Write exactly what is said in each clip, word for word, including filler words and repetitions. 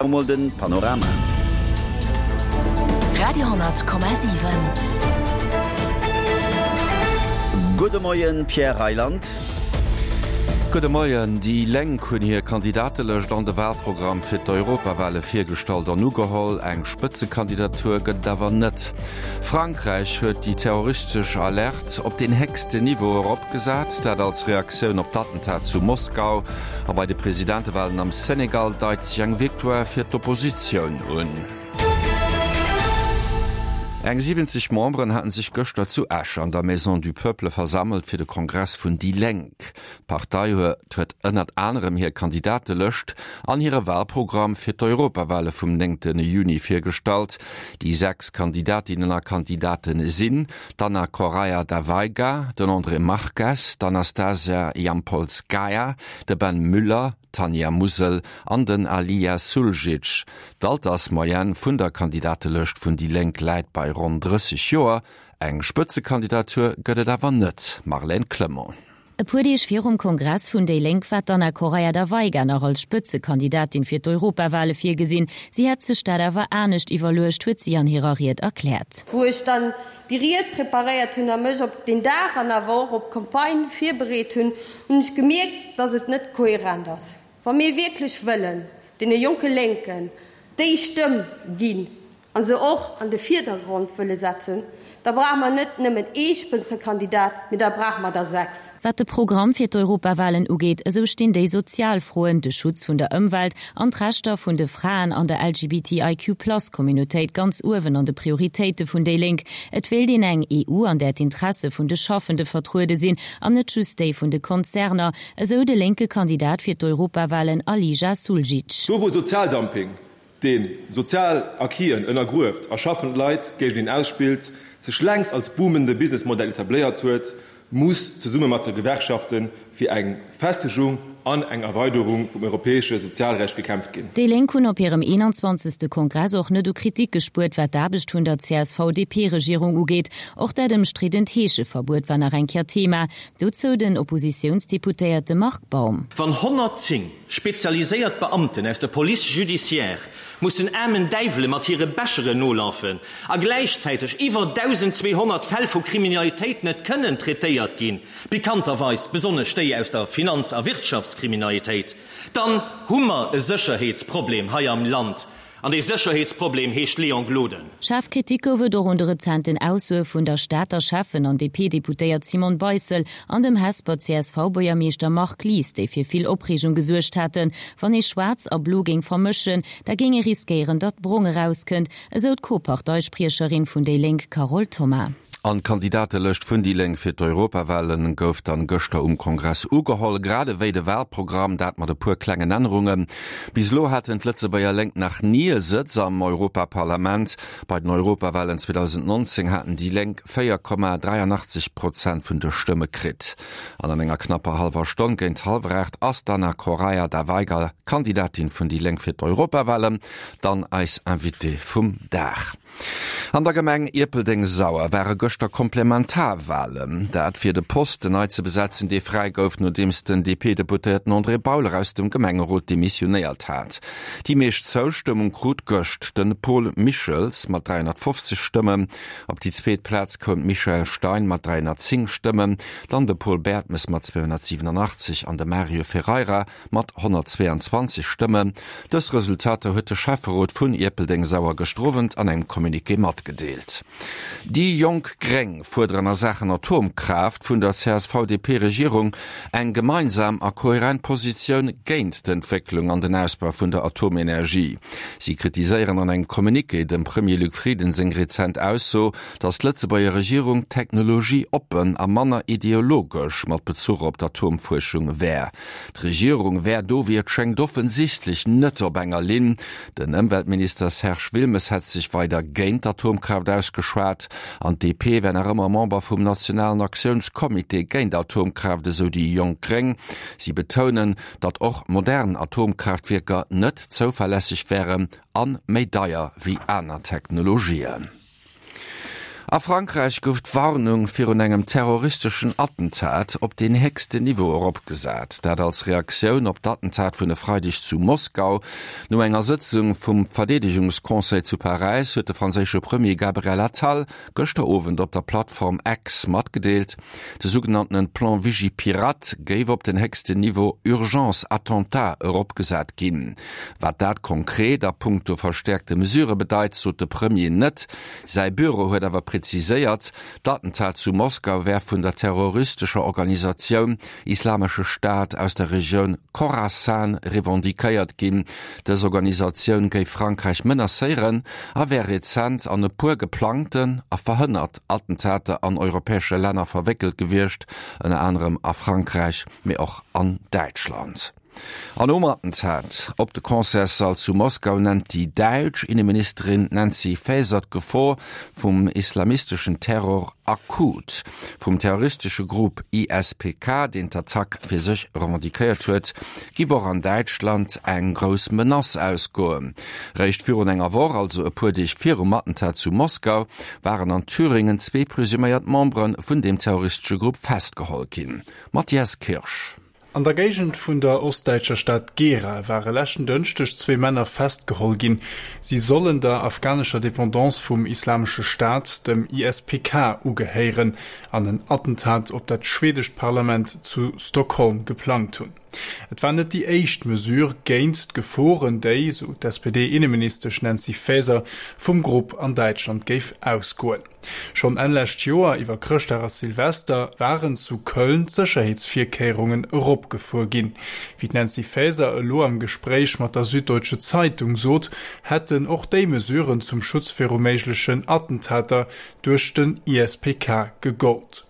Mol den Panorama. Radio honnert Komma siwen. Gudde Moien, Pierre Reyland. Gudde Moien. Déi Lénk hunn hir Kandidatelëscht an de Walprogramm fir d'Europawale virgestallt an ugeholl. Eng Spëtzekandidatur gëtt et awer net. Frankräich huet déi terroristesch Alerte op deen héchsten Niveau eropgesat, dat als Reaktioun op d'Attentat zu Moskau. A bei de Presidentewalen am Senegal deit sech eng Victoire fir d'Oppositioun un. Eng siwwenzeg Memberen haten sech gëschter zu Esch an der Maison du Peuple versammelt fir de Kongress vun déi Lénk. D'Partei huet huet ënnert anerem hir Kandidatelëscht an hire Walprogramm fir d'Europawale vum néngte Juni virgestallt. Déi sechs Kandidatinnen a Kandidaten sinn, d'Anna Correia da Veiga, den André Marques, d'Anastasia Yampolskaya, de Ben Müller, d'Tanja Musel an den Alija Suljic. D'Altersmoyenne vun der Kandidatelëscht vun déi Lénk läit bei ronn drësseg Joer. Eng Spëtzekandidatur gëtt et awer net, Marlène Clement. E puer Deeg virum Kongress vun déi Lénk war d'Anna Correia da Veiga nach als Spëtzekandidatin fir d'Europawale virgesinn. Si hätt sech dat awer anescht iwwerluecht, huet si an hirer Ried erkläert. Wou ech dann déi Ried preparéiert hunn a mech op deen Dag an awer och op d'Campagne virbereet hunn, hunn ech gemierkt, dass et net kohärent ass. Wa mir wierklech wëllen deene jonke Lénken déi Stëmm ginn a se och an de Virdergrond wëlle setzen, da brauche mer net nëmmen ee Spëtzekandidat, mee da brauche mer der sechs. Wat de Programm fir d'Europawalen ugeet, esou stinn déi sozial Froen, de Schutz vun der Ëmwelt an d'Rechter vun de Fraen an der L G B T I Q plus Communautéit ganz uewen an de Prioritéite vun déi Lénk. Et wéilt een eng E U, an där d'Interesse vun de Schaffende vertruede sinn an net just déi vun de Konzerner, esou de lénke Kandidat fir d'Europawalen Alija Suljic. Do wou Sozialdumping, dee sozial Acquisen ënnergrueft a schaffend Leit géinteneen ausspillt, sech längst als boomende Businessmodell etabléiert huet, muss zesumme mat de Gewerkschafte fir eng Festegung an eng Erweiderung vum europäesche Sozialrecht gekämpft ginn. Déi Lénk hunn op hirem eenanzwanzegste Kongress och net u Kritik gespuert, wat d'Aarbecht vun der C S V-D P-Regierung ugeet. Och dat ëmstriddent Heescheverbuet war nach eng Kéier Thema. Dozou den Oppositiounsdeputéierte Marc Baum. Wann honnertzéng spezialiséiert Beamten aus der Police judiciaire mussen aarmen Däiwele mat hire Becheren nolafen a gläichzäiteg iwwer dausendzweehonnert Fäll vu Kriminalitéit net kënnen traitéiert ginn, pikanterweis besonnesch déi aus der Finanz a Wirtschaftskriminalitéit, dann hu mer e Sécherheetsproblem hei am Land. An dee Sécherheetsproblem heescht Léon Gloden. Schaarf Kritik gouf et och un de rezenten Aussoe vun der Stater Schäffen an D P-Deputéiert Simone Beissel an dem Hesper C S V-Buergermeeschter Marc Lies, déi fir vill Opreegung gesuergt haten. Wann ee Schwaarz a Blo géing vermëschen, da géing ee riskéieren, datt Brong erauskënnt, esou d'Co-Parteispriecherin vun déi Lénk Carole Thoma. An d'Kandidatelëscht vun déi Lénk fir d'Europawalen gouf dann gëschter um Kongress ugeholl, grad ewéi de Walprogramm, dat mat e puer klengen Ännerungen. Bis elo haten d'Lëtzebuerger Lénk nach ni e Sëtz am Europaparlament. Bei den Europawalen zweedausendnonzéng haten déi Lénk véier Komma dräianachtzeg Prozent vun de Stëmme kritt. An an enger knapper hallwer Stonn géint hallwer aacht ass d'Anna Correia da Veiga, Kandidatin vun déi Lénk fir d'Europawalen, dann eis Invitée vum Dag. An der Gemeng Ierpeldeng-Sauer ware gëschter Komplementarwalen. Dat fir de Posten nei ze besetzen, dee fräi gouf, nodeems den D P-Deputéierten André Bauler aus dem Gemengerot demissionéiert hat. Déi meescht Zoustëmmung krut gëscht de Paul Michels mat dräihonnertfofzeg Stëmmen. Op déi zweet Plaz koum d'Michèle Stein mat dräihonnertzéng Stëmmen, dann de Paul Bertmes mat zweehonnertsiwwenanachtzeg an de Mario Ferreira mat honnertzweeanzwanzeg Stëmmen. Dës Resultater huet de Schäfferot vun Ierpeldeng-Sauer gëschter Owend an engem Communiqué matgedeelt. Déi jonk Gréng fuerderen a Saachen Atomkraaft vun der C S V-D P-Regierung eng gemeinsam a kohärent Positioun géint d'Entwécklung an den Ausbau vun der Atomenergie. Si kritiséieren an engem Communiqué dem Premier Luc Frieden seng rezent Ausso, datt d'Lëtzebuerger Regierung technologieoppen a manner ideologesch mat Bezuch op d'Atomfuerschung wär. D'Regierung wär do, wéi et schéngt, offensichtlech net op enger Linn. Den Ëmweltminister Serge Wilmes hätt sech weider géint d'Atomkraaft ausgeschwat an d'D P wär nach ëmmer Member vum Nationalen Aktiounscomité géint Atomkraaft, esou déi jonk Gréng. Si betounen, datt och modern Atomkraaftwierker net zouverlässeg wären an méi deier wéi aner Technologien. A Frankräich gouf d'Warnung virun engem terroristeschen Attentat op den héchsten Niveau eropgesat. Dat als Reaktioun op d'Attentat vun e Freideg zu Moskau. No enger Sëtzung vum Verdeedegungsconseil zu Paräis huet de franséische Premier Gabriel Attal gëschter Owend op der Plattform X matgedeelt, de sougenanntenen Plan Vigipirate géif op den héchsten Niveau Urgence Attentat eropgesat ginn. Wat dat konkret a punkto verstäerkte Mesurë bedeit, sot de Premier net. Säi Büro huet awer präziséiert, d'Attentat zu Moskau wär vun der terroristescher Organisatioun Islamesche Staat aus der Regioun Khorasan revendiquéiert ginn. Dës Organisatioun géif Frankräich menacéieren a wär rezent an e puer geplangten a verhënnert Attentater an europäesche Länner verwéckelt gewiescht, ënner anerem a Frankräich, mee och an Däitschland. An nom Attentat op de Concertssall zu Moskau nennt déi däitsch Inneministerin Nancy Faeser d'Gefor vum islamisteschen Terror akut. Vum terroristesche Grupp I S P K, deen d'Attack fir sech revendiquéiert huet, giff och an Däitschland eng grouss Menace ausgoen. Réischt virun enger Woch, also e puer Deeg virum Attentat zu Moskau, waren an Thüringen zwee presuméiert Membere vun deem terroristesche Grupp festgeholl ginn. Matthias Kirsch. An der Géigend vun der ostdäitscher Stad Gera ware leschten Dënschdeg zwee Männer festgeholl ginn. Si sollen der afghanescher Dependance vum Islamesche Staat, dem I S P K, ugehéieren an en Attentat op dat schwedescht Parlament zu Stockholm geplangt hunn. Et war net déi éischt Mesure géint d'Geforen, déi, sou d'S P D-Inneministesch Nancy Faeser, vum Grupp an Däitschland géif ausgoen. Schonn Enn lescht Joer iwwer Chrëschtdag a Silvester waren zu Köln d'Sécherheetsvirkéierungen eropgefuer ginn. Wéi d'Nancy Faeser elo am Gespréich mat der Süddeutsche Zeitung sot, hätten och déi Mesuren zum Schutz viru méiglechen Attentater duerch den I S P K gegollt.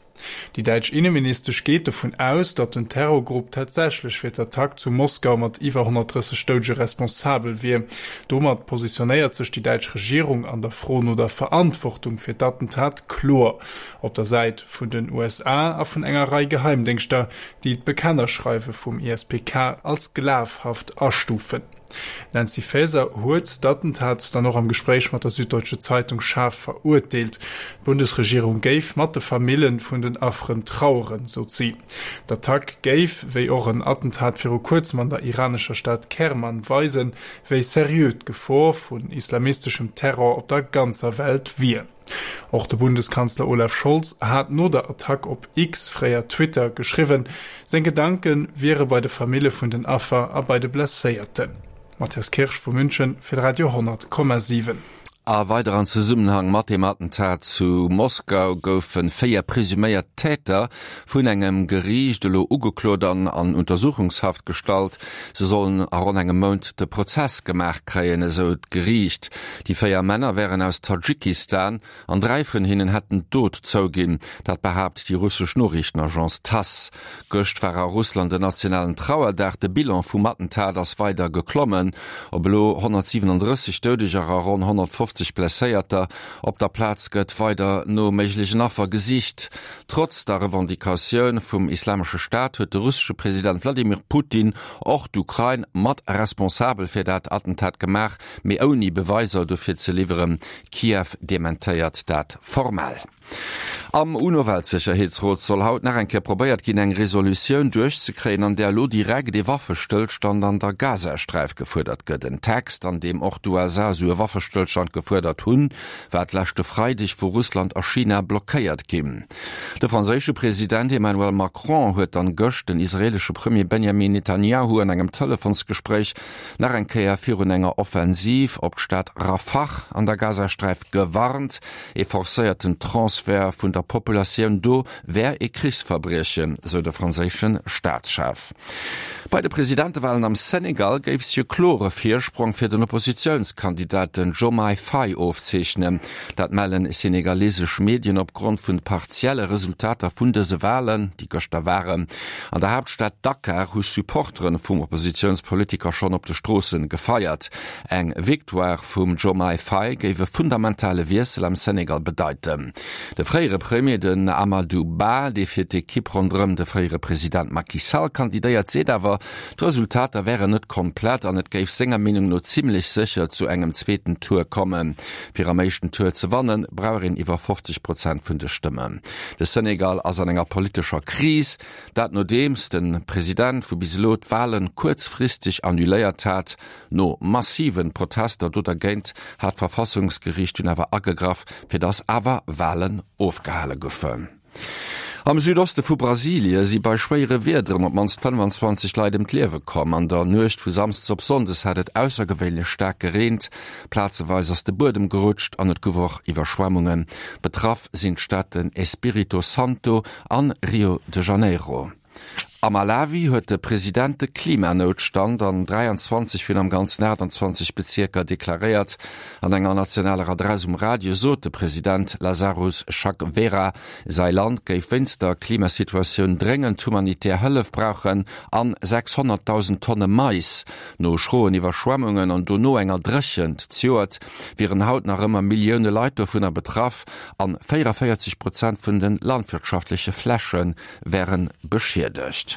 Déi däitsch Inneministesch geet dovun aus, datt den Terrorgrupp tatsächlech fir d'Attack zu Moskau mat iwwer honnertdrësseg Doudege responsabel wier. Domat positionéiert sech déi däitsch Regierung an der Fro no der Verantwortung fir d'Attentat kloer op der Säit vun den U S A a vun enger Rei Geheimdéngschter, déi d'Bekennerschreiwe vum I S P K als glafhaft astufen. D'Nancy Faeser huet d'Attentat dann och am Gespréich mat der Süddeutsche Zeitung schaarf verurteelt. D'Bundesregierung géif mat de Famille vun den Afferen traueren, sot si. D'Attack géif, wéi och en Attentat viru kuerzem an der iranescher Stad Kerman, weisen, wéi seriö d'Gefor vun islamisteschem Terror op der ganzer Welt wier. Och de Bundeskanzler Olaf Scholz hat no der Attack op X, fréier Twitter, geschriwwen, seng Gedanke wiere bei de Famille vun den Affer a bei de Blesséierten. Matthias Kirsch vu München fir Radio honnert Komma siwen. A weider an Zesummenhang mat dem Attentat zu Moskau goufe véier presuméiert Täter vun engem Geriicht elo ugeklot an an Untersuchungshaft gestallt. Se sollen a ronn engem Mount de Prozess gemaach kréien, esou d'Geriicht. Déi véier Männer wären aus Tadschikistan an dräi vun hinnen hätten d'Dot zouginn. Dat behaapt déi russesch Noriichtenagence Tass. Gëscht war a Russland den nationalen Trauerdag. De Bilan vum Attentat ass weider geklommen op elo honnertsiewenundrësseg Doudeger a ronn honnertfofzeg Blesséierter. Op der Plaz gëtt weider no méiglechen Affer gesicht. Trotz der Revendicatioun vum Islamesche Staat huet de russesche President Wladimir Putin och d'Ukrain mat responsabel fir dat Attentat gemaach, mee ouni Beweiser dofir ze liwweren. Kiew dementéiert dat formell. Am UNO-Weltsécherheetsrot soll haut nach eng Kéier probéiert ginn, eng Resolutioun duerchzekréien, an där elo direkt ee Waffestëllstand an der Gazasträif gefuerdert gëtt. En Text, an deem och d'U S A esou e Waffestëllstand gefuerdert hunn, war d'leschte Freideg vu Russland a China blockéiert ginn. De franséische President Emmanuel Macron huet dann gëscht den israeelesche Premier Benjamin Netanyahu an engem Telefonsgespréich nach eng Kéier virun enger Offensiv op d'Stad Rafah an der Gazasträif gewarnt. Ee forcéierten Transfert vun der Populatioun do wär ee Krichsverbriechen, sou de franséische Staatschef. Bei de Presidentewalen am Senegal géif sech e klore Virsprong fir den Oppositiounskandidat den Diomaye Faye ofzeechnen. Dat mellen senegalesesch Medien opgrond vun partielle Resultater vun dëse Walen, déi gëschter waren. An der Haaptstad Dakar hu Supportere vum Oppositiounspolitiker schonn op de Stroosse gefeiert. Eng Victoire vum Diomaye Faye géif e fundamentale Wiessel am Senegal bedeiten. De fréiere Premier den Amadou Ba, dee fir d'Ekipp ronderëm de fréiere President Macky Sall kandidéiert, seet awer, d'Resultater wären net komplett an et géif senger Meenung no zimmlech sécher zu engem zweeten Tour kommen. Stëmmen. Fir am éischten Tour ze wannen, brauch een iwwer fofzeg Prozent vun de Stëmmen. De Senegal ass an enger politescher Kris, dat nodeems de President vu bis elo d'Wale kuerzfristeg annuléiert hat. No massive Protester do dergéint hat d'Verfassungsgeriicht dunn awer agegraff, fir datt awer Walen ofgehale goufen. Am Südoste vu Brasilie si bei schwéiere Wiederen op d'mannst fënnfanzwanzeg Leit ëm d'Liewe komm. An der Nuecht vu Samsdes op Sonndes hat et aussergewéinlech staark gereent. Plazeweis ass de Buedem gerutscht an et gouf och Iwwerschwemmungen. Betraff sinn d'Städten Espírito Santo an Rio de Janeiro. A Malawi huet de President de Klimanoutstand an dräianzwanzeg vun am Ganzen aachtanzwanzeg Bezierker deklaréiert. An enger nationaler Adress um Radio sot de President Lazarus Chakwera, säi Land géif wéinst der Klimasituatioun dréngend humanitär Hëllef brauchen an sechshonnertdausend Tonne Mais. No schroen Iwwerschwemmungen an dono enger Dréchent zejoert wieren haut nach ëmmer Millioune Leit dovunner betraff an véierunvéierzeg Prozent vun de landwirtschaftleche Fläche wäre beschiedegt.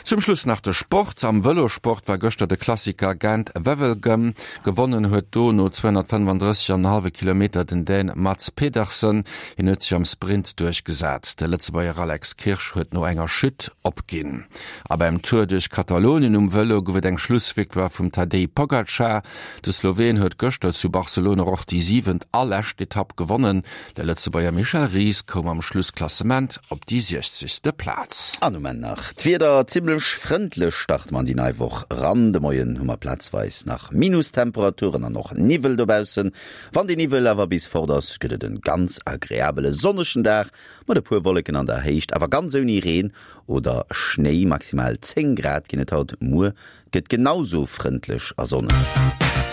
Zum Schluss nach de Sport. Am Vëlosport war gëschter de Klassiker Gent-Wevelgem. Gewonnen huet do no zweehonnertfënnefandrësseg an en hallwe Kilometer den Dän Mads Pedersen. Hien huet sech am Sprint duerchgesat. De Lëtzebuerger Alex Kirsch huet no enger Chute opginn. A beim Tour duerch Katalonien um Vëlo gouf et eng Schlussvictoire vum Tadej Pogacar. De Sloween huet gëschter zu Barcelona och déi siwent a lescht Etapp gewonnen. De Lëtzebuerger Michel Ries koum am Schlussklassement op déi siechzegste Plaz. An um Enn nach d'Wieder, Zimmlech frëndlech starte mer an déi nei Woch eran. De Moien hu mer plazweis nach Minustemperaturen an och Niwwel dobaussen. Wann dee Niwwel awer bis fort ass, gëtt et en ganz agreabele sonnegen Dag mat e puer Wolleken an der Héicht, awer ganz ouni Reen oder Schnéi. Maximal zéng Grad ginn et haut, muer gëtt genau sou frëndlech a sonneg.